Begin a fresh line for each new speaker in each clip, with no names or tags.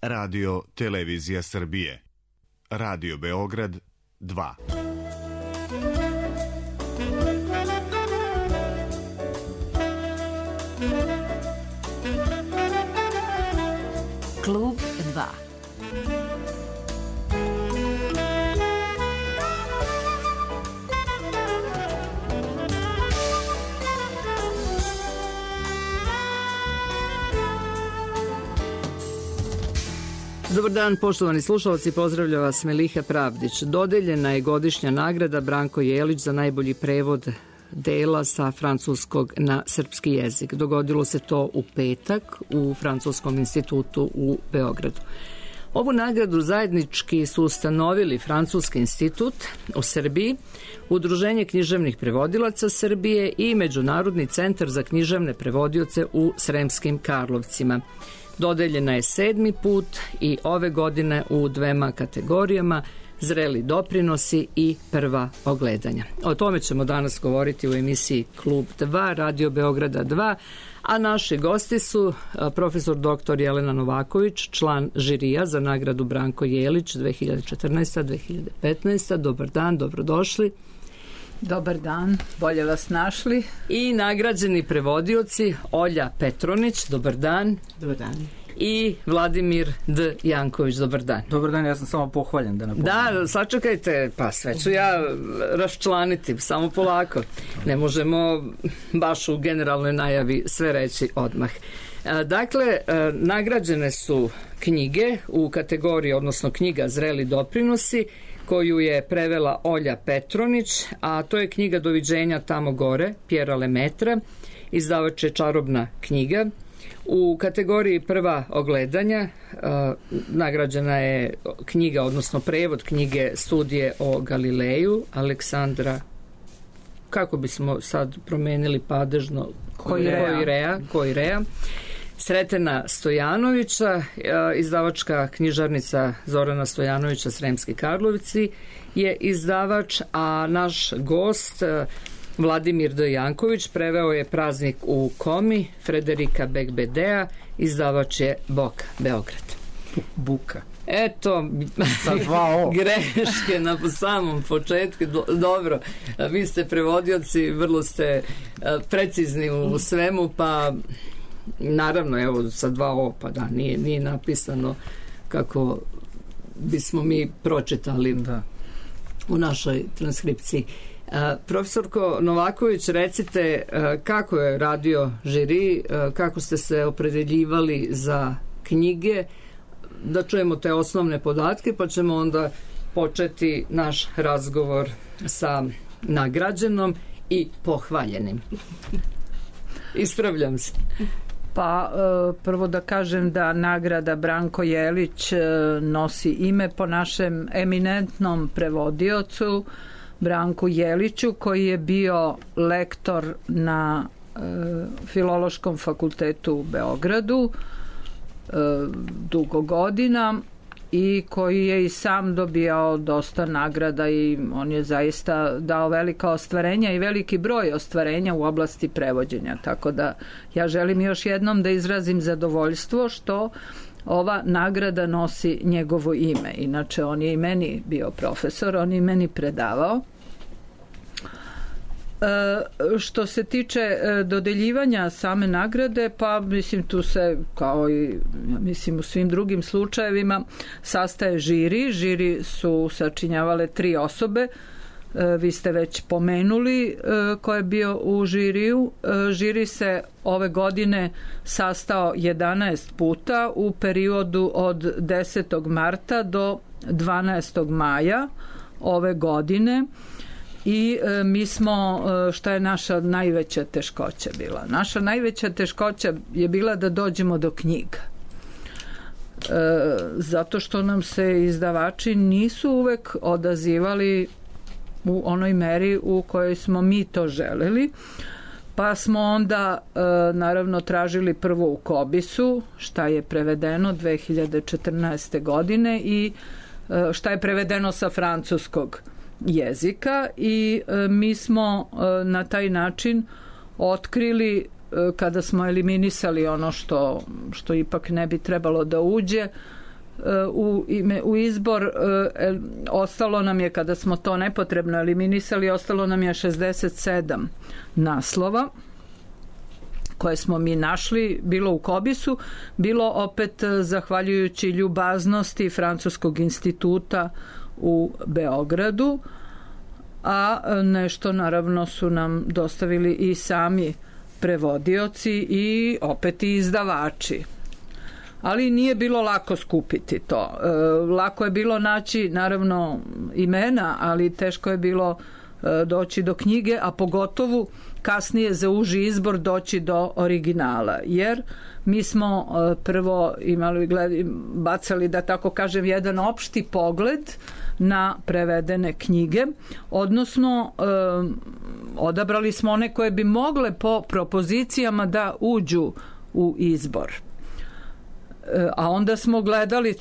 Radio Televizija Srbije. Radio Beograd 2.
Klub 2.
Dobar dan, poštovani slušalci, pozdravlja vas Meliha Pravdić. Dodeljena je godišnja nagrada Branko Jelić za najbolji prevod dela sa francuskog na srpski jezik. Dogodilo se to u petak u Francuskom institutu u Beogradu. Ovu nagradu zajednički su ustanovili Francuski institut u Srbiji, Udruženje književnih prevodilaca Srbije i Međunarodni centar za književne prevodioce u Sremskim Karlovcima. Dodeljena je 7. put i ove godine u 2 kategorijama: zreli doprinosi i prva ogledanja. O tome ćemo danas govoriti u emisiji Klub 2, Radio Beograda 2, a naši gosti su profesor dr. Jelena Novaković, član žirija za nagradu Branko Jelić 2014-2015. Dobar dan, dobrodošli.
Dobar dan, bolje vas našli.
I nagrađeni prevodioci Olja Petronić, dobar dan.
Dobar dan.
I Vladimir D. Janković, dobar dan.
Dobar dan, ja sam samo pohvaljen da napomenem.
Da, sačekajte, pa sve ću ja raščlaniti, samo polako. Ne možemo baš u generalnoj najavi sve reći odmah. Dakle, nagrađene su knjige u kategoriji, odnosno knjiga Zreli doprinosi, koju je prevela Olja Petronić, a to je knjiga Doviđenja tamo gore, Pjera Lemetra, izdavač je Čarobna knjiga. U kategoriji prva ogledanja nagrađena je knjiga, odnosno prevod knjige Studije o Galileju, Aleksandra, kako bismo sad promenili padežno, Koirea, Sretena Stojanovića, izdavačka knjižarnica Zorana Stojanovića, Sremski Karlovci je izdavač, a naš gost Vladimir D. Janković preveo je Praznik u komi Frederika Bekbedea, izdavač je Boka, Beograd.
Buka.
Eto, greške na samom početku. Dobro, vi ste prevodioci, vrlo ste precizni u svemu, pa naravno, evo, sa 2 O, pa da, nije napisano kako bismo mi pročitali u našoj transkripciji. Profesorko Novaković, recite kako je radio žiri, kako ste se opredeljivali za knjige, da čujemo te osnovne podatke, pa ćemo onda početi naš razgovor sa nagrađenom i pohvaljenim. Ispravljam se.
Pa prvo da kažem da nagrada Branko Jelić nosi ime po našem eminentnom prevodiocu Branku Jeliću, koji je bio lektor na Filološkom fakultetu u Beogradu dugo godina i koji je i sam dobijao dosta nagrada i on je zaista dao velika ostvarenja i veliki broj ostvarenja u oblasti prevođenja. Tako da ja želim još jednom da izrazim zadovoljstvo što ova nagrada nosi njegovo ime. Inače, on je i meni bio profesor, on je i meni predavao. Što se tiče dodeljivanja same nagrade, pa mislim tu se, kao i mislim u svim drugim slučajevima, sastaje žiri. Žiri su sačinjavale 3 osobe. Vi ste već pomenuli ko je bio u žiriju. Žiri se ove godine sastao 11 puta u periodu od 10. marta do 12. maja ove godine. I mi smo, šta je naša najveća teškoća bila? Naša najveća teškoća je bila da dođemo do knjiga. Zato što nam se izdavači nisu uvek odazivali u onoj meri u kojoj smo mi to želeli. Pa smo onda naravno tražili prvo u Kobisu, šta je prevedeno 2014. godine i šta je prevedeno sa francuskog jezika i mi smo na taj način otkrili, kada smo eliminisali ono što ipak ne bi trebalo da uđe, u izbor ostalo nam je, kada smo to nepotrebno eliminisali, ostalo nam je 67 naslova koje smo mi našli, bilo u Kobisu, bilo opet zahvaljujući ljubaznosti Francuskog instituta u Beogradu, a nešto naravno su nam dostavili i sami prevodioci i opet i izdavači. Ali nije bilo lako skupiti to. Lako je bilo naći naravno imena, ali teško je bilo doći do knjige, a pogotovo kasnije za uži izbor doći do originala, jer mi smo prvo bacali, da tako kažem, jedan opšti pogled na prevedene knjige, odnosno odabrali smo one koje bi mogle po propozicijama da uđu u izbor. A onda smo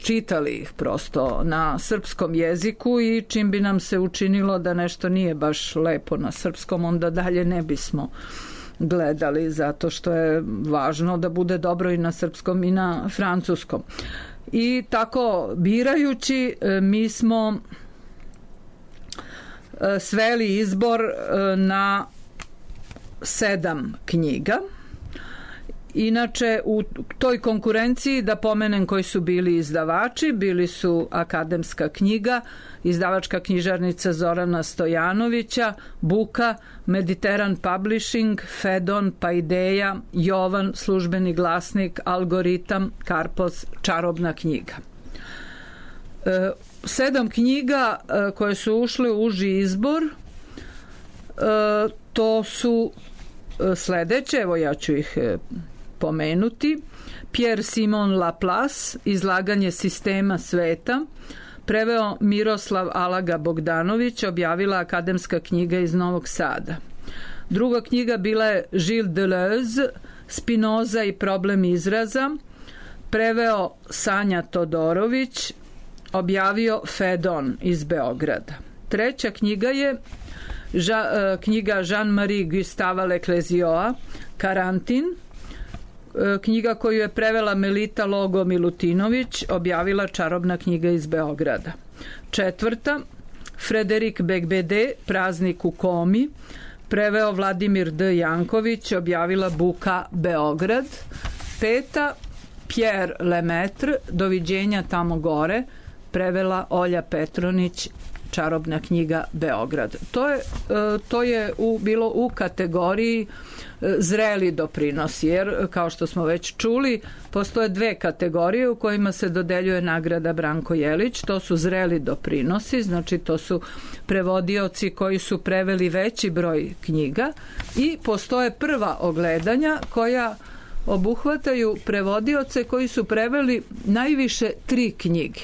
čitali ih prosto na srpskom jeziku i čim bi nam se učinilo da nešto nije baš lepo na srpskom, onda dalje ne bismo gledali, zato što je važno da bude dobro i na srpskom i na francuskom. I tako birajući, mi smo sveli izbor na 7 knjiga. Inače, u toj konkurenciji, da pomenem koji su bili izdavači, bili su Akademska knjiga, izdavačka knjižarnica Zorana Stojanovića, Buka, Mediteran Publishing, Fedon, Paideja, Jovan, Službeni glasnik, Algoritam, Karpos, Čarobna knjiga. 7 knjiga koje su ušle u uži izbor, to su sledeće, evo ja ću ih pomenuti. Pierre Simon Laplace, Izlaganje sistema sveta, preveo Miroslav Alaga Bogdanović, objavila Akademska knjiga iz Novog Sada. Druga knjiga bila je Gilles Deleuze, Spinoza i problem izraza, preveo Sanja Todorović, objavio Fedon iz Beograda. Treća knjiga je knjiga Jean-Marie Gustava Leclézioa, Karantin, knjiga koju je prevela Melita Logo Milutinović, objavila Čarobna knjiga iz Beograda. Četvrta, Frederik Beigbeder, Praznik u komi, preveo Vladimir D. Janković, objavila Buka Beograd. Peta, Pierre Lemaitre, Doviđenja tamo gore, prevela Olja Petronić, Čarobna knjiga Beograd. To je bilo u kategoriji zreli doprinosi, jer kao što smo već čuli, postoje 2 kategorije u kojima se dodeljuje nagrada Branko Jelić. To su zreli doprinosi, znači to su prevodioci koji su preveli veći broj knjiga, i postoje prva ogledanja koja obuhvataju prevodioce koji su preveli najviše 3 knjige.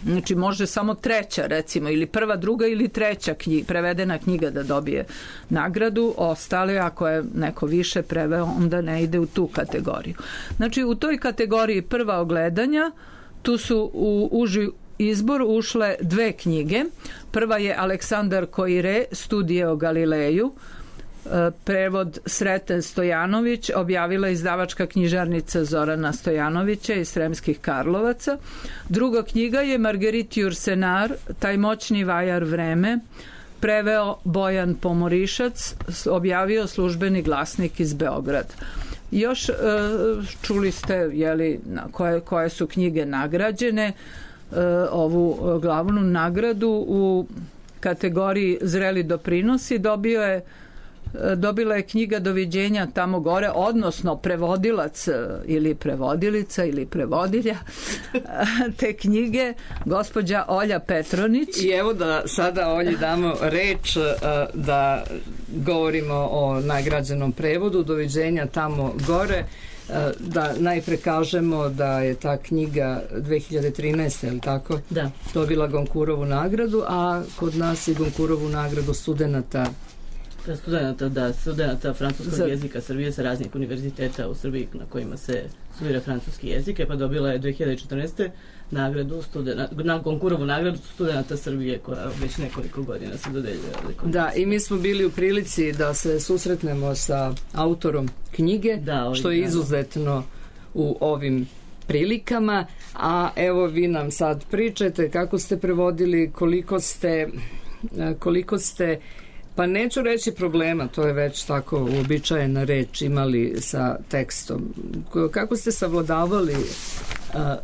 Znači može samo treća, recimo, ili prva, druga ili treća prevedena knjiga da dobije nagradu, ostale ako je neko više preveo onda ne ide u tu kategoriju. Znači u toj kategoriji prva ogledanja tu su u uži izbor ušle 2 knjige. Prva je Aleksandar Koire, Studije o Galileju, prevod Sreten Stojanović, objavila izdavačka knjižarnica Zorana Stojanovića iz Sremskih Karlovaca. Druga knjiga je Marguerite Yourcenar, Taj moćni vajar vreme, preveo Bojan Pomorišac, objavio Službeni glasnik iz Beograda. Još čuli ste koje su knjige nagrađene. Ovu glavnu nagradu u kategoriji zreli doprinosi dobila je knjiga Doviđenja tamo gore, odnosno prevodilac ili prevodilica ili prevodilja te knjige, gospođa Olja Petronić.
I evo da sada Olji damo reč da govorimo o nagrađenom prevodu Doviđenja tamo gore. Da najpre kažemo da je ta knjiga 2013. je li tako?
Da.
Dobila Gonkurovu nagradu, a kod nas i Gonkurovu nagradu studenata
francuskog jezika Srbije sa raznih univerziteta u Srbiji na kojima se studira francuski jezik, pa dobila je 2014. nagradu na Gonkurovu nagradu studenata Srbije, koja već nekoliko godina se dodeljuje.
Da, i mi smo bili u prilici da se susretnemo sa autorom knjige, što je izuzetno u ovim prilikama, a evo vi nam sad pričajte kako ste prevodili, koliko ste pa neću reći problema, to je već tako uobičajena reč, imali sa tekstom. Kako ste savladavali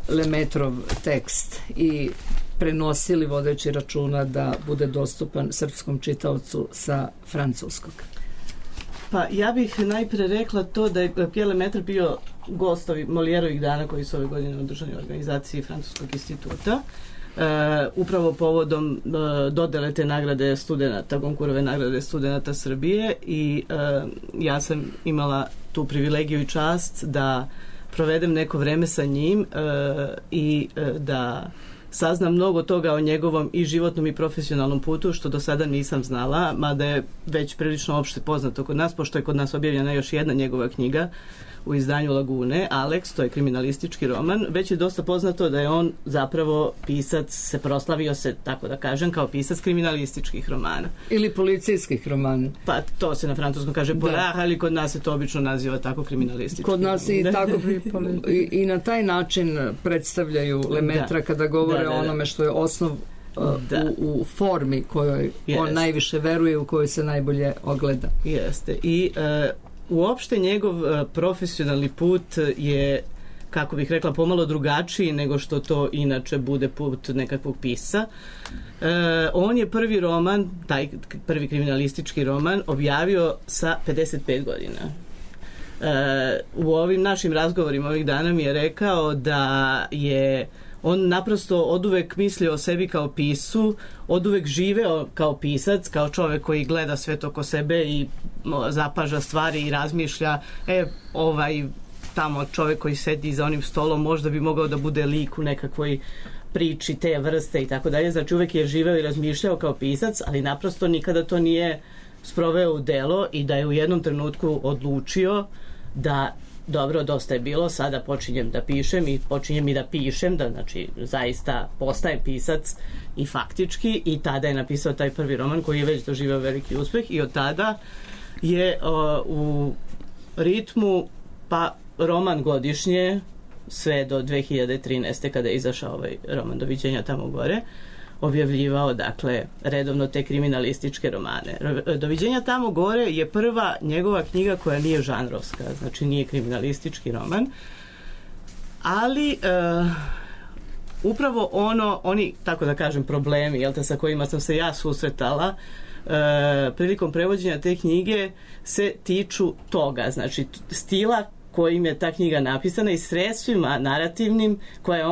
Lemetrov tekst i prenosili vodeći računa da bude dostupan srpskom čitaocu sa francuskog?
Pa ja bih najpre rekla to da je Pierre Lemaitre bio gost Molièrovih dana koji su ove godine održani u organizaciji Francuskog instituta. Upravo povodom dodele te nagrade studenta, Goncourtove nagrade studenta Srbije, i ja sam imala tu privilegiju i čast da provedem neko vreme sa njim i da saznam mnogo toga o njegovom i životnom i profesionalnom putu, što do sada nisam znala, mada je već prilično opšte poznato kod nas, pošto je kod nas objavljena još jedna njegova knjiga u izdanju Lagune, Alex, to je kriminalistički roman. Već je dosta poznato da je on zapravo pisac, se proslavio se, tako da kažem, kao pisac kriminalističkih romana.
Ili policijskih romana.
Pa to se na francuskom kaže polar, ali kod nas se to obično naziva tako kriminalistički.
Kod nas i tako i na taj način predstavljaju Lemaitre kada govore o onome što je osnov u formi kojoj on najviše veruje, u kojoj se najbolje ogleda.
Jeste. I uopšte njegov profesionalni put je, kako bih rekla, pomalo drugačiji nego što to inače bude put nekakvog pisca. On je prvi roman, taj prvi kriminalistički roman, objavio sa 55 godina. U ovim našim razgovorima ovih dana mi je rekao da je on naprosto oduvek mislio o sebi kao piscu, oduvek živeo kao pisac, kao čovek koji gleda sve to oko sebe i zapaža stvari i razmišlja, tamo čovek koji sedi za onim stolom možda bi mogao da bude lik u nekakvoj priči te vrste i tako dalje. Znači uvek je živeo i razmišljao kao pisac, ali naprosto nikada to nije sproveo u delo i da je u jednom trenutku odlučio da dobro, dosta je bilo, sada počinjem da pišem i počinjem i da pišem, da znači zaista postaje pisac i faktički, i tada je napisao taj prvi roman koji je već doživao veliki uspeh i od tada je u ritmu pa roman godišnje sve do 2013. kada je izašao ovaj roman Doviđenja tamo gore, objavljivao, dakle, redovno te kriminalističke romane. Doviđenja tamo gore je prva njegova knjiga koja nije žanrovska, znači nije kriminalistički roman, ali upravo oni, tako da kažem, problemi, sa kojima sam se ja susretala prilikom prevođenja te knjige se tiču toga, znači stila kojim je ta knjiga napisana i sredstvima narativnim koje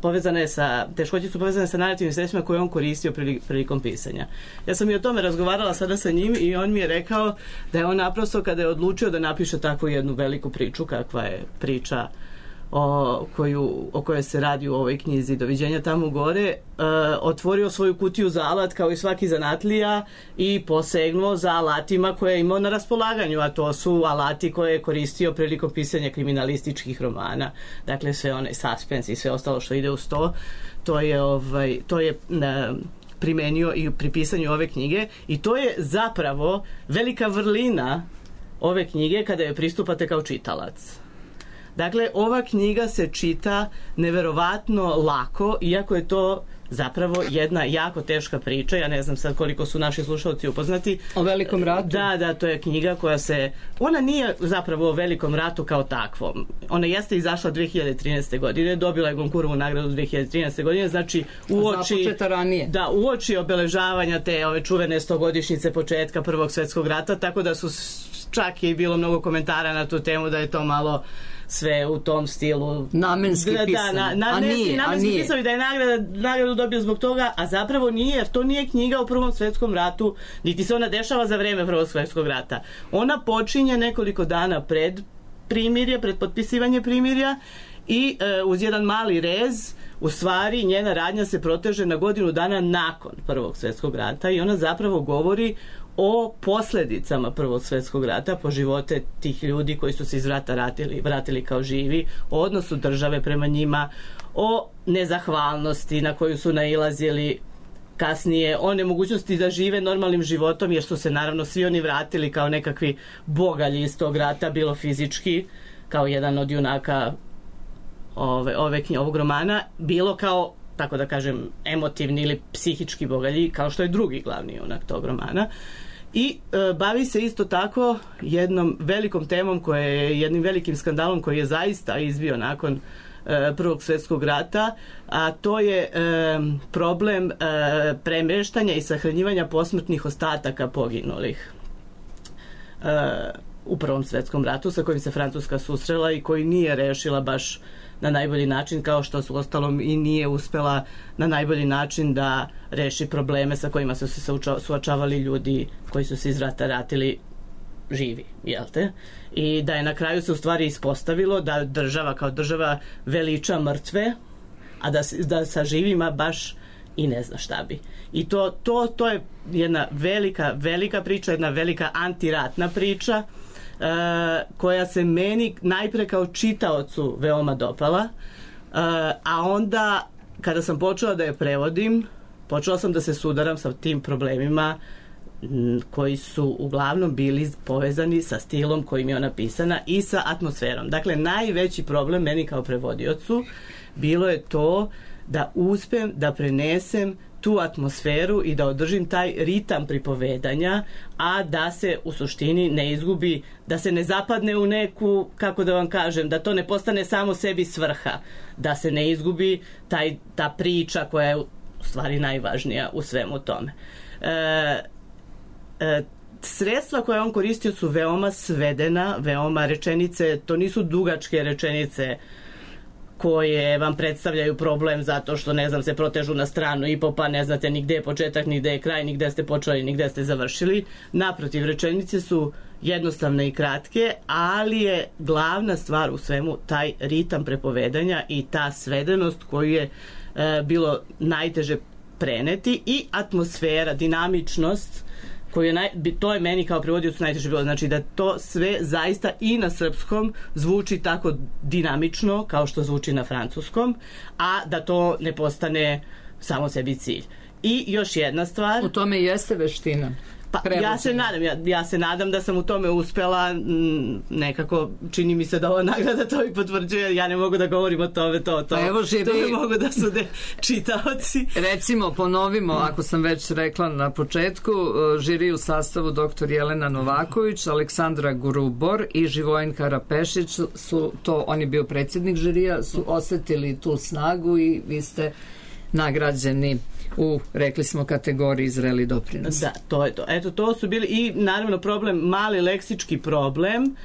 povezane sa, teškoće su povezane sa narativnim sredstvima koje on koristio prilikom pisanja. Ja sam i o tome razgovarala sada sa njim i on mi je rekao da je on naprosto kada je odlučio da napiše takvu jednu veliku priču kakva je priča o kojoj se radi u ovoj knjizi Doviđenja tamo gore, otvorio svoju kutiju za alat kao i svaki zanatlija i posegnuo za alatima koje je imao na raspolaganju, a to su alati koje je koristio prilikom pisanja kriminalističkih romana. Dakle, sve onaj suspens i sve ostalo što ide uz to, to je primenio i pri pisanju ove knjige i to je zapravo velika vrlina ove knjige kada je pristupate kao čitalac. Dakle, ova knjiga se čita neverovatno lako, iako je to zapravo jedna jako teška priča. Ja ne znam sad koliko su naši slušalci upoznati.
O Velikom ratu?
Da, to je knjiga koja ona nije zapravo o Velikom ratu kao takvom. Ona jeste izašla 2013. godine, dobila je Goncourtovu nagradu 2013. godine, znači
započeta ranije.
Da, uoči obeležavanja te ove čuvene 100-godišnjice početka Prvog svjetskog rata, tako da su čak je bilo mnogo komentara na tu temu da je to malo sve u tom stilu
namenski pisano.
Namenski pisano i da je nagradu dobio zbog toga, a zapravo nije, jer to nije knjiga o Prvom svjetskom ratu, niti se ona dešava za vreme Prvog svjetskog rata. Ona počinje nekoliko dana pred primirje, pred potpisivanje primirja i uz jedan mali rez u stvari njena radnja se proteže na godinu dana nakon Prvog svjetskog rata i ona zapravo govori o posljedicama Prvog svjetskog rata po živote tih ljudi koji su se iz rata vratili kao živi, o odnosu države prema njima, o nezahvalnosti na koju su nailazili kasnije, o nemogućnosti da žive normalnim životom jer su se naravno svi oni vratili kao nekakvi bogalji iz tog rata, bilo fizički, kao jedan od junaka ovog romana bilo kao, tako da kažem, emotivni ili psihički bogalji, kao što je drugi glavni junak tog romana. I bavi se isto tako jednom velikom temom, jednim velikim skandalom koji je zaista izbio nakon Prvog svjetskog rata, a to je problem premeštanja i sahranjivanja posmrtnih ostataka poginulih u Prvom svjetskom ratu, sa kojim se Francuska susrela i koji nije rešila baš na najbolji način, kao što su ostalom i nije uspela na najbolji način da reši probleme sa kojima su se suočavali ljudi koji su se iz rata vratili živi, jel te? I da je na kraju se u stvari ispostavilo da država kao država veliča mrtve, a da sa živima baš i ne zna šta bi. I to je jedna velika priča, jedna velika antiratna priča, koja se meni najpre kao čitaocu veoma dopala, a onda kada sam počela da je prevodim, počela sam da se sudaram sa tim problemima koji su uglavnom bili povezani sa stilom kojim je ona pisana i sa atmosferom. Dakle, najveći problem meni kao prevodiocu bilo je to da uspem da prenesem tu atmosferu i da održim taj ritam pripovedanja, a da se u suštini ne izgubi, da se ne zapadne u neku, kako da vam kažem, da to ne postane samo sebi svrha, da se ne izgubi ta priča koja je u stvari najvažnija u svemu tome. Sredstva koje on koristio su veoma svedena, veoma rečenice, to nisu dugačke rečenice koje vam predstavljaju problem zato što, ne znam, se protežu na stranu i pa ne znate ni gde je početak, ni gde je kraj, ni gde ste počeli, ni gde ste završili. Naprotiv, rečenice su jednostavne i kratke, ali je glavna stvar u svemu taj ritam prepovedanja i ta svedenost koju je bilo najteže preneti i atmosfera, dinamičnost, to je meni kao prevodiocu najteže bilo, znači da to sve zaista i na srpskom zvuči tako dinamično kao što zvuči na francuskom, a da to ne postane samo sebi cilj. I još jedna stvar,
u tome jeste veština.
Pa ja se nadam da sam u tome uspela, nekako čini mi se da ova nagrada to i potvrđuje, ja ne mogu da govorim o tome, to ne mogu da sude čitaoci.
Recimo, ponovimo, ako sam već rekla na početku, žiri u sastavu dr. Jelena Novaković, Aleksandra Grubor i Živojin Karapešić su to, on je bio predsjednik žirija, su osetili tu snagu i vi ste nagrađeni u, rekli smo, kategoriji zreli doprinos.
Da, to je to. Eto, to su bili i naravno problem, mali leksički problem,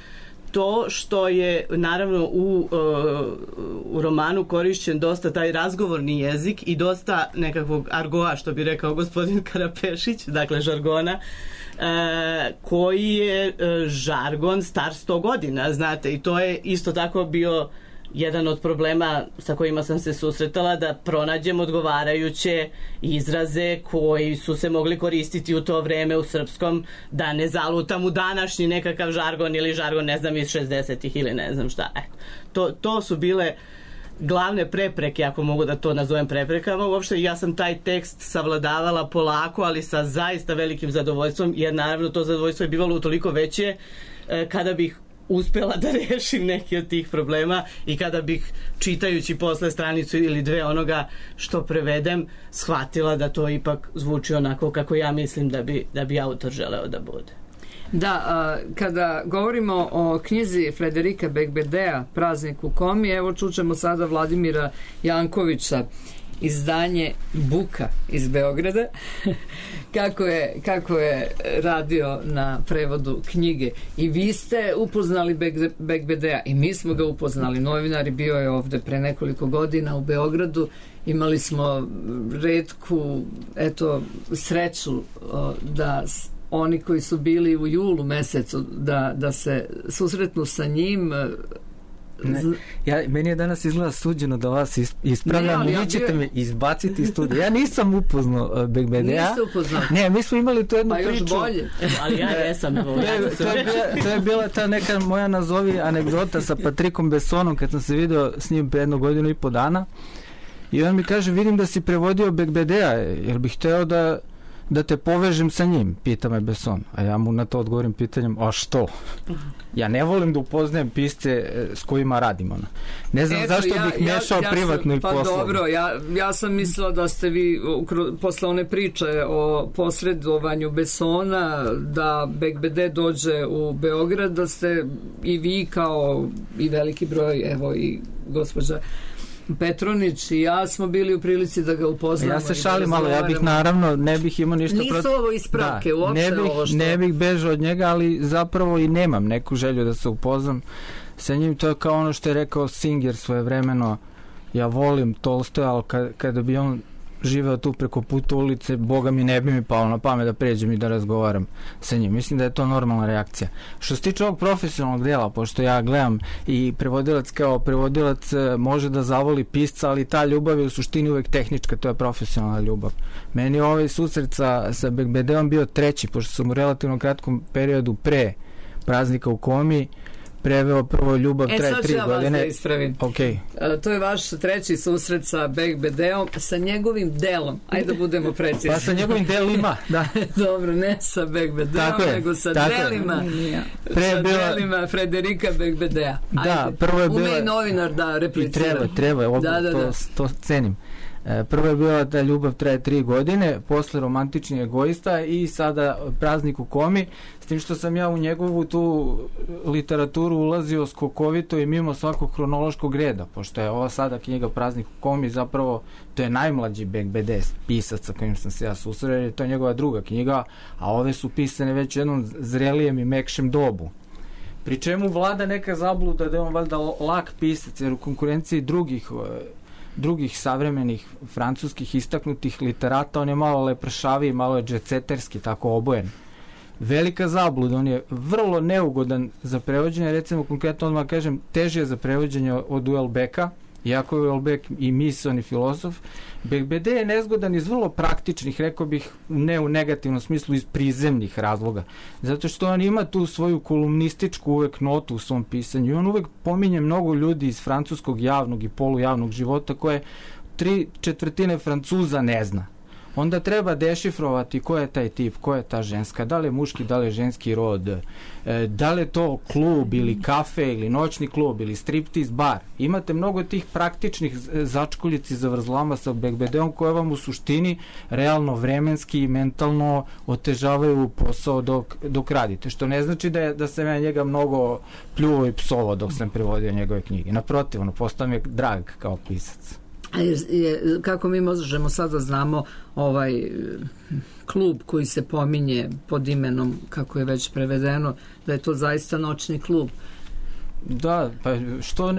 to što je naravno u romanu korišćen dosta taj razgovorni jezik i dosta nekakvog argoa, što bi rekao gospodin Karapešić, dakle žargona, koji je žargon star 100 godina, znate, i to je isto tako bio jedan od problema sa kojima sam se susretala, da pronađem odgovarajuće izraze koji su se mogli koristiti u to vreme u srpskom, da ne zalutam u današnji nekakav žargon ili žargon, ne znam, iz 60-ih ili ne znam šta. To su bile glavne prepreke, ako mogu da to nazovem preprekama. Uopšte ja sam taj tekst savladavala polako, ali sa zaista velikim zadovoljstvom, jer naravno to zadovoljstvo je bivalo utoliko veće kada bih uspela da rešim neki od tih problema i kada bih, čitajući posle stranicu ili dve onoga što prevedem, shvatila da to ipak zvuči onako kako ja mislim da bi autor želeo da bude.
Da, kada govorimo o knjizi Frederika Bekbedea Praznik u komi, evo čućemo sada Vladimira Jankovića, izdanje Buka iz Beograda, kako je radio na prevodu knjige. I vi ste upoznali Bekbedea i mi smo ga upoznali. Novinari, bio je ovde pre nekoliko godina u Beogradu. Imali smo retku sreću da oni koji su bili u julu mesecu da se susretnu sa njim.
Meni je danas izgleda suđeno da vas ispravljam, vi ćete me izbaciti iz studija. Ja nisam upoznao Bekbedea.
Niste upoznao?
Ne, mi smo imali tu jednu priču.
Pa još bolje.
Ali ja jesam.
To je bila ta neka moja nazovi anegdota sa Patrikom Bessonom, kad sam se video s njim pre 1 godinu i po dana. I on mi kaže, vidim da si prevodio Bekbedea, jer bih hteo da da te povežem sa njim, pita me Besson. A ja mu na to odgovorim pitanjem, a što? Ja ne volim da upoznajem pisce s kojima radim. Ne znam zašto bih mešao privatno i poslovno.
Pa dobro, ja sam mislila da ste vi posle one priče o posredovanju Bessona, da Bekbede dođe u Beograd, da ste i vi kao i veliki broj, evo i gospođa Petronić i ja smo bili u prilici da ga upoznamo.
Ja se šalim malo, ja bih naravno ne bih imao ništa
protiv. Nisu ovo ispravke, uopšte ovo što...
Ne bih bežao od njega, ali zapravo i nemam neku želju da se upoznam sa njim. To je kao ono što je rekao Singer svojevremeno, ja volim Tolstoja, ali kada bi on živeo tu preko puta ulice, Boga mi ne bi mi palo na pamet da pređem i da razgovaram sa njim. Mislim da je to normalna reakcija. Što se tiče ovog profesionalnog dela, pošto ja gledam i prevodilac kao prevodilac može da zavoli pisca, ali ta ljubav je u suštini uvek tehnička, to je profesionalna ljubav. Meni ovaj susret sa Bekbedeom bio treći, pošto sam u relativno kratkom periodu pre praznika u Komi preveo prvo ljubav traje 3 godine.
Sad ću ja vas da ispravim.
Okay.
To je vaš treći susret sa Bekbedeom, sa njegovim delom. Ajde da budemo precizni.
Pa sa njegovim delima, da.
Dobro, ne sa Bekbedeom, nego sa delima. Delima Frederika Bekbedea.
Da, prvo je bilo...
Ume i novinar da replicira.
I treba, to cenim. Prvo je bila da ljubav traje 3 godine, posle romantični egoista i sada praznik u Komi, s tim što sam ja u njegovu tu literaturu ulazio skokovito i mimo svakog hronološkog reda, pošto je ova sada knjiga Praznik u Komi zapravo, to je najmlađi Bekbede pisac sa kojim sam se ja susreo, jer je to njegova druga knjiga, a ove su pisane već u jednom zrelijem i mekšem dobu. Pri čemu vlada neka zabluda da je on valjda lak pisac, jer u konkurenciji drugih savremenih francuskih istaknutih literata, on je malo lepršaviji, malo je džetseterski, tako obojen. Velika zabluda, on je vrlo neugodan za prevođenje, recimo konkretno odmah kažem, teže je za prevođenje od Houellebecqa, iako je Houellebecq i misaoni filozof. Bekbede je nezgodan iz vrlo praktičnih, rekao bih, ne u negativnom smislu, iz prizemnih razloga. Zato što on ima tu svoju kolumnističku uvek notu u svom pisanju i on uvek pominje mnogo ljudi iz francuskog javnog i polujavnog života koje 3/4 Francuza ne zna. Onda treba dešifrovati ko je taj tip, ko je ta ženska, da li je muški, da li je ženski rod, da li je to klub ili kafe ili noćni klub ili striptease bar. Imate mnogo tih praktičnih začkoljici za vrzlama sa Bekbedeom koje vam u suštini realno vremenski i mentalno otežavaju posao dok radite. Što ne znači da sam ja njega mnogo pljuo i psovao dok sam prevodio njegove knjige. Naprotiv, postao mi je drag kao pisac.
Kako mi možemo sad da znamo ovaj klub koji se pominje pod imenom, kako je već prevedeno, da je to zaista noćni klub?
Da, pa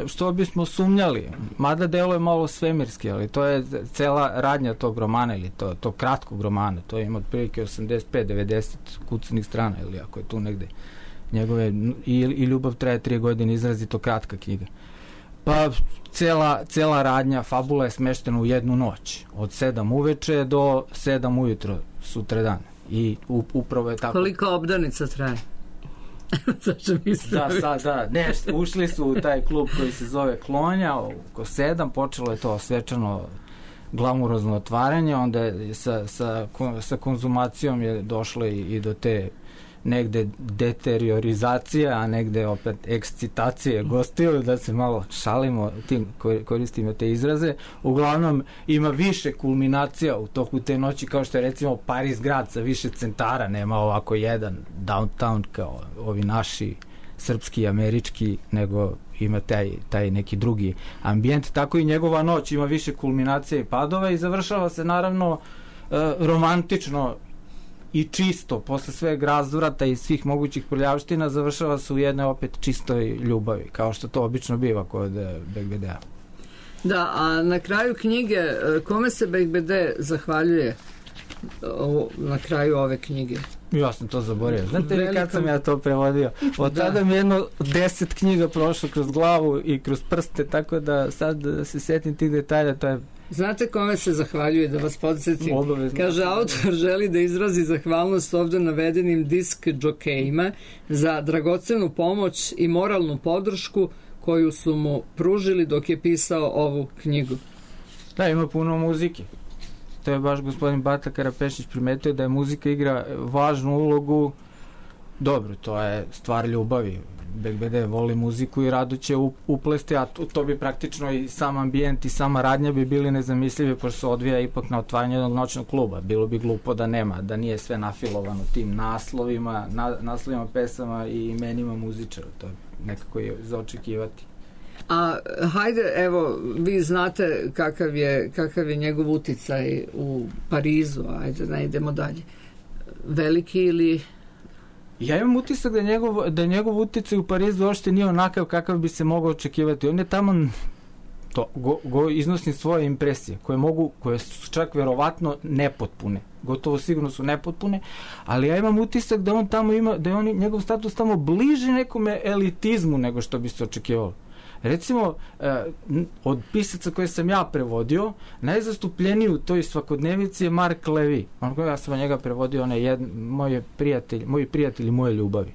što bismo sumnjali, mada delo je malo svemirski, ali to je cela radnja tog romana ili to kratkog romana, to ima otprilike 85-90 kucanih strana, ili ako je tu negde njegove, i ljubav traje 3 godine, izrazito kratka knjiga. Pa cela radnja, fabula je smeštena u jednu noć, od 7 uveče do 7 ujutro sutradan. I upravo je tako.
Koliko obdanica traje?
Da. Ušli su u taj klub koji se zove Klonja, oko 7, počelo je to svečano glamurozno otvaranje, onda je sa konzumacijom je došlo i do te negde deteriorizacija, a negde opet ekscitacije gostiju, da se malo šalimo, koristimo te izraze. Uglavnom ima više kulminacija u toku te noći, kao što je recimo Paris grad sa više centara, nema ovako jedan downtown kao ovi naši srpski, američki, nego ima taj neki drugi ambijent. Tako i njegova noć ima više kulminacija i padova i završava se naravno romantično i čisto, posle sveg razvrata i svih mogućih prljavština, završava se u jednoj opet čistoj ljubavi, kao što to obično biva kod Bekbedea.
Da, a na kraju knjige, kome se Bekbede zahvaljuje na kraju ove knjige?
Ja sam to zaboravio. Znate li kad sam ja to prevodio? Od tada mi 10 knjiga prošlo kroz glavu i kroz prste, tako da sad se setim tih detalja, to je...
Znate kome se zahvaljuje, da vas podsjetim? Kaže, autor želi da izrazi zahvalnost ovdje navedenim disk džokejima za dragocenu pomoć i moralnu podršku koju su mu pružili dok je pisao ovu knjigu.
Da, ima puno muzike. što je baš gospodin Bata Karapešić primetio, da je muzika igra važnu ulogu. Dobro, to je stvar ljubavi. BGBD voli muziku i rado će uplesti, a to bi praktično i sam ambijent i sama radnja bi bili nezamislivi, pošto se odvija ipak na otvaranju jednog noćnog kluba. Bilo bi glupo da nema, da nije sve nafilovano tim naslovima pesama i imenima muzičara. To je nekako je za očekivati.
A hajde, evo, vi znate kakav je njegov uticaj u Parizu, ajde, ne idemo dalje. Veliki ili...
Ja imam utisak da njegov uticaj u Parizu uopšte nije onakav kakav bi se mogao očekivati. On je tamo iznosi svoje impresije, koje su čak verovatno nepotpune. Gotovo sigurno su nepotpune, ali ja imam utisak da on tamo ima, da je njegov status tamo bliži nekome elitizmu nego što bi se očekivalo. Recimo, od pisaca koje sam ja prevodio, najzastupljeniji u toj svakodnevici je Mark Levy. Ja sam njega prevodio, moji prijatelji moje ljubavi.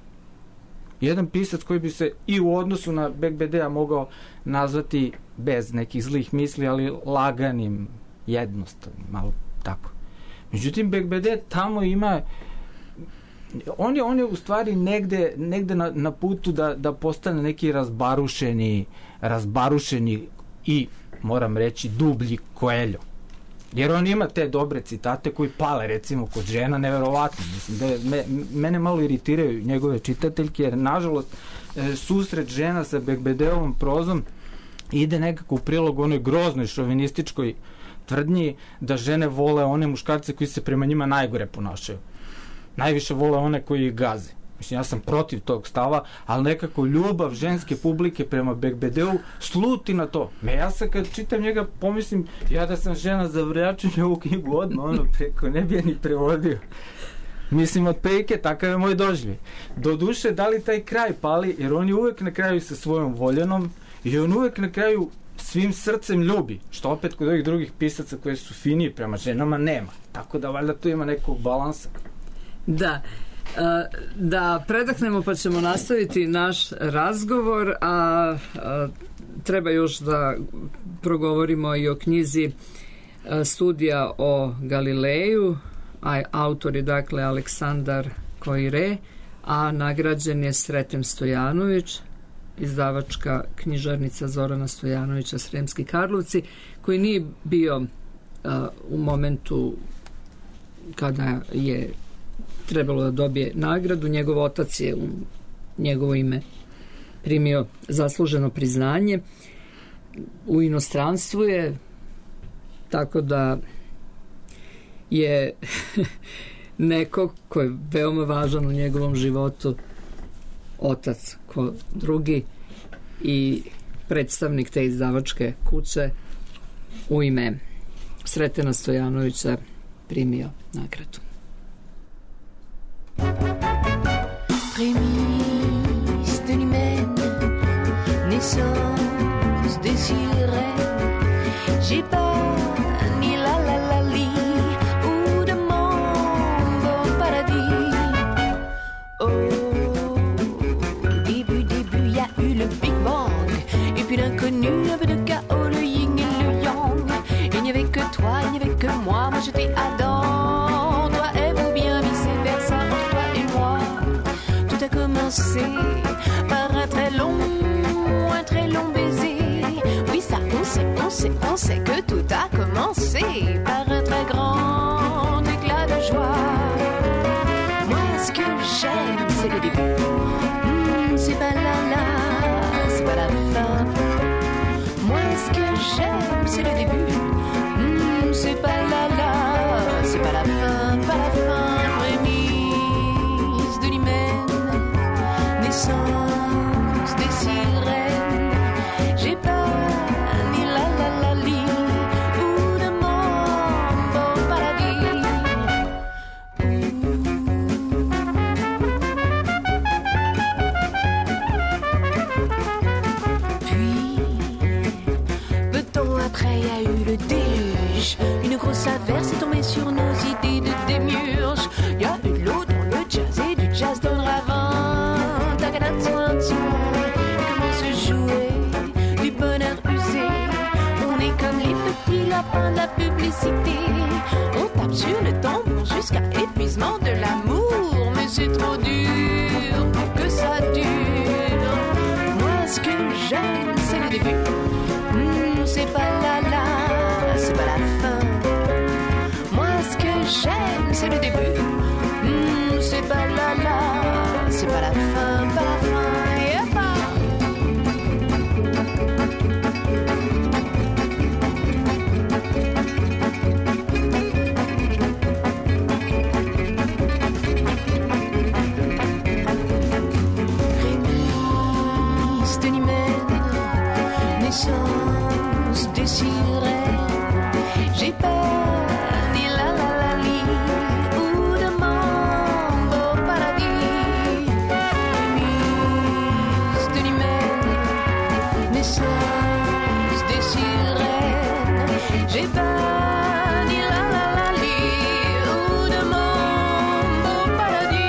Jedan pisac koji bi se i u odnosu na BGBD-a mogao nazvati bez nekih zlih misli, ali laganim, jednostavnim, malo tako. Međutim, BGBD tamo ima... On je u stvari negde na putu da postane neki razbarušeni i, moram reći, dublji Coelho. Jer on ima te dobre citate koji pale, recimo, kod žena, neverovatno. Mislim da mene malo iritiraju njegove čitateljke, jer, nažalost, susret žena sa BGBD-ovom prozom ide nekako u prilog onoj groznoj šovinističkoj tvrdnji da žene vole one muškarce koji se prema njima najgore ponašaju. Najviše vole one koji ih gaze. Mislim, ja sam protiv tog stava, ali nekako ljubav ženske publike prema BGBD-u sluti na to. Ja sam kad čitam njega pomislim, ja da sam žena za vrjačenje ovu knjigu odmah, preko ne bi je ni prevodio. Mislim, od pejke, takav je moj doživljaj. Doduše, da li taj kraj pali, jer on je uvek na kraju sa svojom voljenom i on uvek na kraju svim srcem ljubi, što opet kod ovih drugih pisaca koji su finiji prema ženama nema. Tako da valjda tu ima nekog balansa.
Da predahnemo pa ćemo nastaviti naš razgovor, a treba još da progovorimo i o knjizi Studija o Galileju, autor je dakle Aleksandar Koire, a nagrađen je Sreten Stojanović, izdavačka knjižarnica Zorana Stojanovića, Sremski Karlovci, koji nije bio u momentu kada je trebalo da dobije nagradu. Njegov otac je u njegovo ime primio zasluženo priznanje. U inostranstvu je, tako da je neko ko je veoma važan u njegovom životu, otac ko drugi i predstavnik te izdavačke kuće, u ime Sretena Stojanovića primio nagradu.
Prémisse de l'humaine, naissance de sirène, j'ai pas ni la la la li ou de mambo paradis. Au début, y a eu le Big Bang, et puis l'inconnu, un peu de chaos, le yin et le yang. Il n'y avait que toi, il n'y avait que moi j'étais Adam, toi et vous bien vice-versa, entre toi et moi. Tout a commencé par un très long baiser. Oui, ça, on sait que tout a commencé par un très grand éclat de joie. Moi, ce que j'aime, c'est le début. C'est pas la, c'est pas la fin. Moi, ce que j'aime, c'est le début. C'est pas la, c'est pas la fin, pas la fin. Prémisse de l'hymen, naissance des sirènes. J'ai pas ni la li ou de mambo paradis. Puis, peu de temps après, y a eu le déluge. Une grosse averse est tombée sur nos idées de démiurge. Y a eu de l'eau dans le jazz et du jazz dans le ravin. Et comment se jouer du bonheur usé. On est comme les petits lapins de la publicité. l'amusement, de l'amour, mais c'est trop dur pour que ça dure. Moi, ce que j'aime, c'est le début. C'est pas la, c'est pas la fin. Moi, ce que j'aime, c'est le début. C'est pas la, c'est pas la fin, pas la fin. Désirerai, j'ai peur ni la li ou de mambo paradis. Mise de l'humaine, naissance des sirènes, j'ai peur ni la li ou de mambo paradis.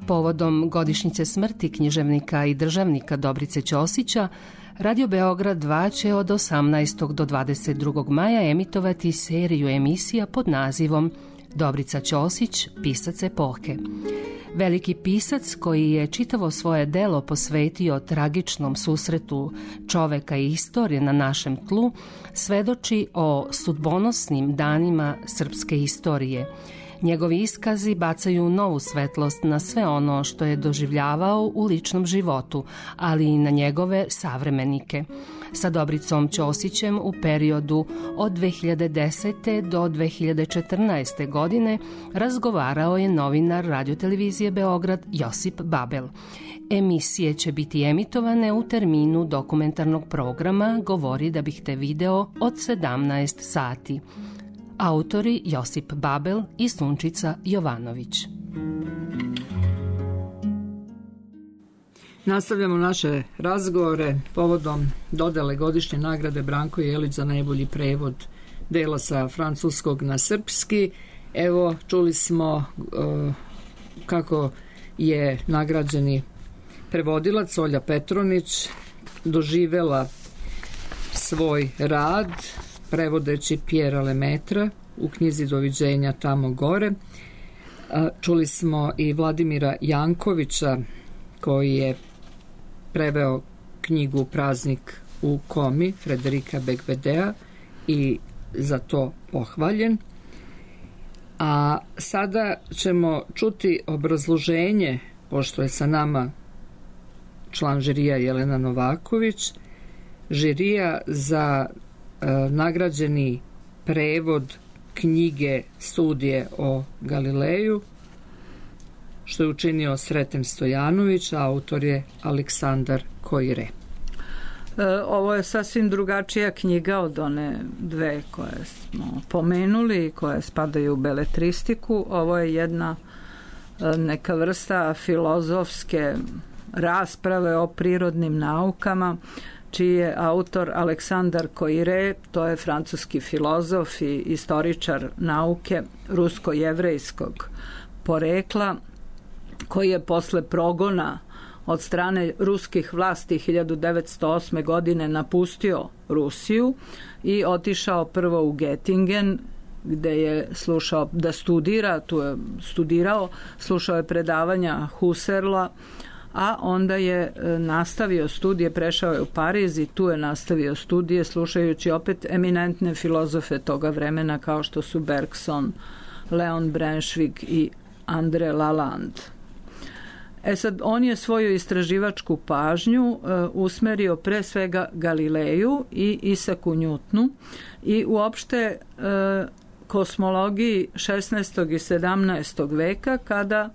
Povodom godišnjice smrti književnika i državnika Dobrice Ćosića, Radio Beograd 2 će od 18. do 22. maja emitovati seriju emisija pod nazivom Dobrica Ćosić, pisac epohe. Veliki pisac koji je čitavo svoje delo posvetio tragičnom susretu čoveka i istorije na našem tlu, svedoči o sudbonosnim danima srpske istorije. Njegovi iskazi bacaju novu svetlost na sve ono što je doživljavao u ličnom životu, ali i na njegove savremenike. Sa Dobricom Ćosićem u periodu od 2010. do 2014. godine razgovarao je novinar radiotelevizije Beograd Josip Babel. Emisije će biti emitovane u terminu dokumentarnog programa Govori da bih te video od 17 sati. Autori Josip Babel i Sunčica Jovanović.
Nastavljamo naše razgovore povodom dodele godišnje nagrade Branko Jelić za najbolji prevod dela sa francuskog na srpski. Evo, čuli smo kako je nagrađeni prevodilac Olja Petronić doživela svoj rad prevodeći Pjera Lemetra u knjizi Doviđenja tamo gore. Čuli smo i Vladimira Jankovića koji je preveo knjigu Praznik u komi Frederika Begvedea i za to pohvaljen. A sada ćemo čuti obrazloženje, pošto je sa nama član žirija Jelena Novaković, žirija za nagrađeni prevod knjige Studije o Galileju, što je učinio Sreten Stojanović, a autor je Aleksandar Koire.
Ovo je sasvim drugačija knjiga od one dve koje smo pomenuli i koje spadaju u beletristiku. Ovo je jedna neka vrsta filozofske rasprave o prirodnim naukama, čiji je autor Aleksandar Koire, to je francuski filozof i istoričar nauke rusko-jevrejskog porekla, koji je posle progona od strane ruskih vlasti 1908. godine napustio Rusiju i otišao prvo u Göttingen, gde je slušao da studira, tu je studirao, slušao je predavanja Husserla, a onda je nastavio studije, prešao je u Pariz i tu je nastavio studije slušajući opet eminentne filozofe toga vremena kao što su Bergson, Leon Brunswick i André Lalande. Sad, on je svoju istraživačku pažnju usmerio pre svega Galileju i Isaku Njutnu i uopšte kosmologiji 16. i 17. veka, kada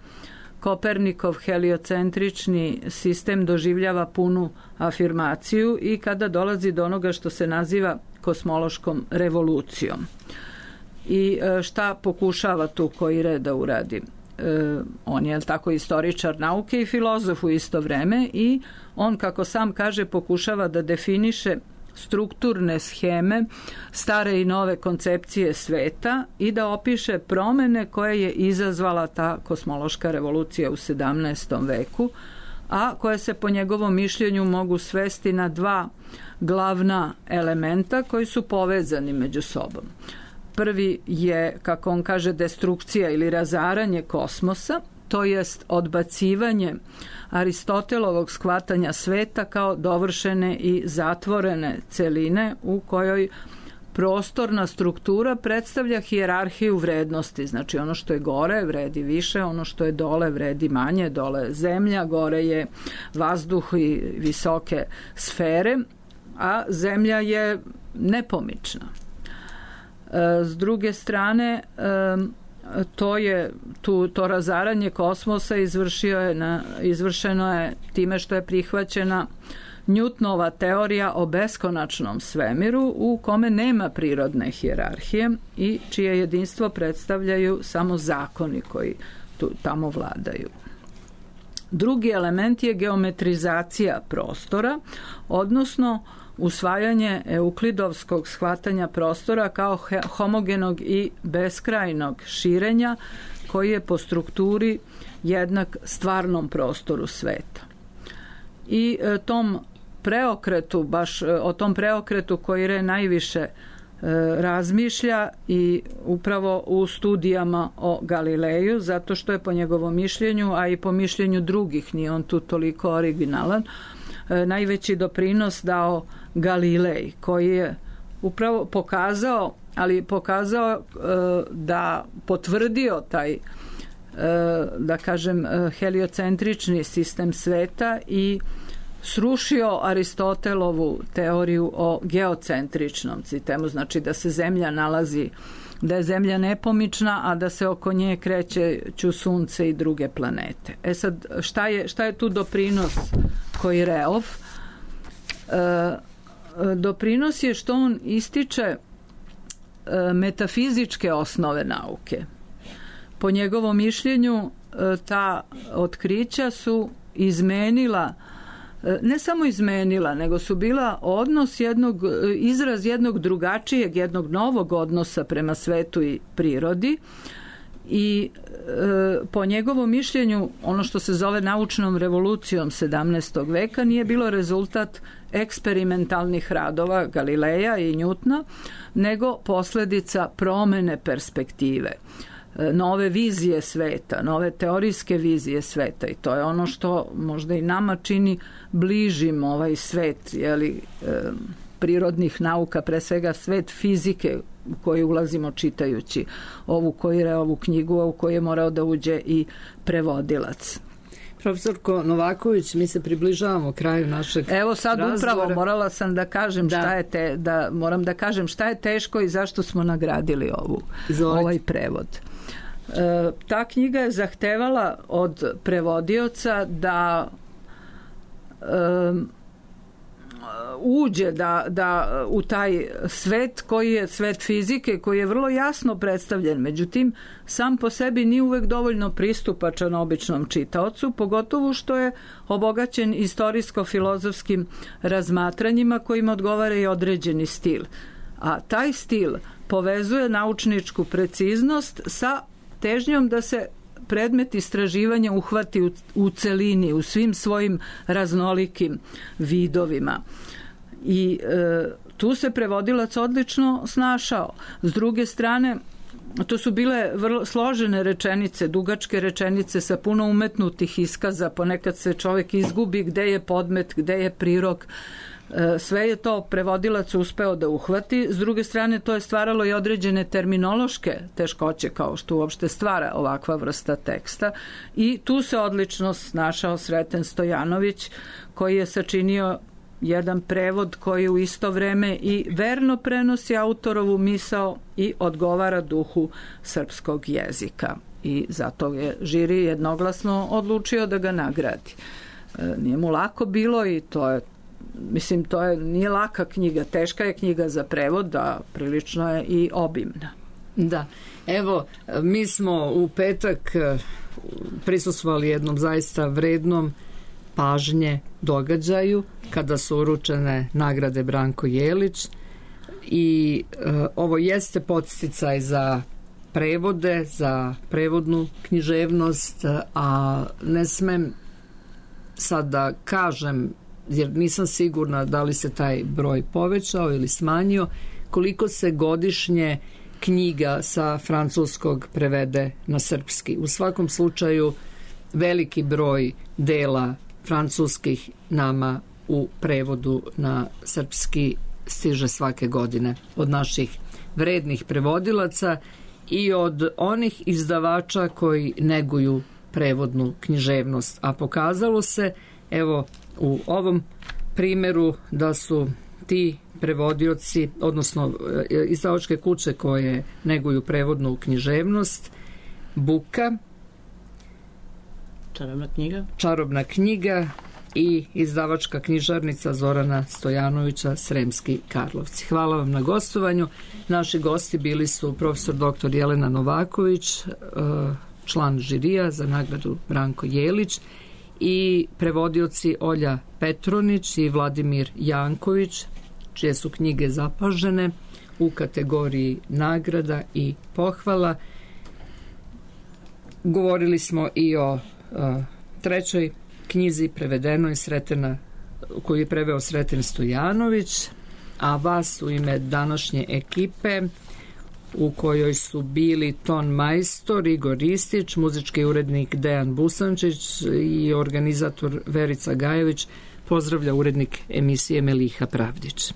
Kopernikov heliocentrični sistem doživljava punu afirmaciju i kada dolazi do onoga što se naziva kosmološkom revolucijom. I šta pokušava tu Koire da uradi? On je tako istoričar nauke i filozof u isto vreme i on, kako sam kaže, pokušava da definiše strukturne sheme, stare i nove koncepcije sveta i da opiše promene koje je izazvala ta kosmološka revolucija u 17. veku, a koje se po njegovom mišljenju mogu svesti na dva glavna elementa koji su povezani među sobom. Prvi je, kako on kaže, destrukcija ili razaranje kosmosa, to jest odbacivanje Aristotelovog shvatanja sveta kao dovršene i zatvorene celine u kojoj prostorna struktura predstavlja hijerarhiju vrednosti. Znači ono što je gore vredi više, ono što je dole vredi manje, dole je zemlja, gore je vazduh i visoke sfere, a zemlja je nepomična. S druge strane, to razaranje kosmosa izvršeno je time što je prihvaćena Newtonova teorija o beskonačnom svemiru u kome nema prirodne hijerarhije i čije jedinstvo predstavljaju samo zakoni koji tamo vladaju. Drugi element je geometrizacija prostora, odnosno usvajanje euklidovskog shvatanja prostora kao homogenog i beskrajnog širenja koji je po strukturi jednak stvarnom prostoru sveta. I tom preokretu, baš o tom preokretu koji najviše razmišlja i upravo u studijama o Galileju, zato što je po njegovom mišljenju, a i po mišljenju drugih, nije on tu toliko originalan, najveći doprinos dao Galilej, koji je upravo pokazao da potvrdio taj, da kažem, heliocentrični sistem sveta i srušio Aristotelovu teoriju o geocentričnom sistemu, znači da se zemlja nalazi, da je zemlja nepomična, a da se oko nje kreću sunce i druge planete. Sad, šta je tu doprinos Koireov? Doprinos je što on ističe metafizičke osnove nauke. Po njegovom mišljenju ta otkrića su izmenila, ne samo izmenila, nego su bila izraz jednog drugačijeg, jednog novog odnosa prema svetu i prirodi i po njegovom mišljenju ono što se zove naučnom revolucijom 17. veka nije bilo rezultat eksperimentalnih radova Galileja i Newtona, nego posljedica promene perspektive, nove vizije sveta, nove teorijske vizije sveta, i to je ono što možda i nama čini bližim ovaj svet prirodnih nauka, pre svega svet fizike u koji ulazimo čitajući ovu Koireovu knjigu, u koju je morao da uđe i prevodilac.
Profesorko Novaković, mi se približavamo kraju našeg
Evo sad
razgovora.
Upravo morala sam da kažem moram da kažem šta je teško i zašto smo nagradili ovaj prevod. Ta knjiga je zahtevala od prevodioca da uđe da u taj svet koji je svet fizike, koji je vrlo jasno predstavljen, međutim sam po sebi nije uvek dovoljno pristupačan običnom čitaocu, pogotovo što je obogaćen istorijsko-filozofskim razmatranjima kojima odgovara i određeni stil. A taj stil povezuje naučničku preciznost sa težnjom da se predmet istraživanja uhvati u celini, u svim svojim raznolikim vidovima. I tu se prevodilac odlično snašao. S druge strane, to su bile vrlo složene rečenice, dugačke rečenice sa puno umetnutih iskaza, ponekad se čovjek izgubi gde je podmet, gde je prirok. Sve je to prevodilac uspeo da uhvati. S druge strane, to je stvaralo i određene terminološke teškoće, kao što uopšte stvara ovakva vrsta teksta, i tu se odlično snašao Sreten Stojanović, koji je sačinio jedan prevod koji u isto vreme i verno prenosi autorovu misao i odgovara duhu srpskog jezika. I zato je žiri jednoglasno odlučio da ga nagradi. Nije mu lako bilo i nije laka knjiga, teška je knjiga za prevod, a prilično je i obimna.
Da, evo, mi smo u petak prisustvovali jednom zaista vrednom pažnje događaju kada su uručene nagrade Branko Jelić i ovo jeste podsticaj za prevode, za prevodnu književnost, a ne smem sad da kažem, jer nisam sigurna da li se taj broj povećao ili smanjio, koliko se godišnje knjiga sa francuskog prevede na srpski. U svakom slučaju veliki broj dela francuskih nama u prevodu na srpski stiže svake godine od naših vrednih prevodilaca i od onih izdavača koji neguju prevodnu književnost. A pokazalo se, evo u ovom primjeru, da su ti prevodioci, odnosno izdavačke kuće koje neguju prevodnu književnost, Buka, Čarobna knjiga i izdavačka knjižarnica Zorana Stojanovića, Sremski Karlovci. Hvala vam na gostovanju. Naši gosti bili su profesor dr. Jelena Novaković, član žirija za nagradu Branko Jelić, i prevodioci Olja Petronić i Vladimir Janković, čije su knjige zapažene u kategoriji nagrada i pohvala. Govorili smo i o trećoj knjizi prevedenoj koju je preveo Sreten Stojanović, a vas u ime današnje ekipe, u kojoj su bili ton majstor Igor Ristić, muzički urednik Dejan Busančić i organizator Verica Gajević, pozdravlja urednik emisije Meliha Pravdić.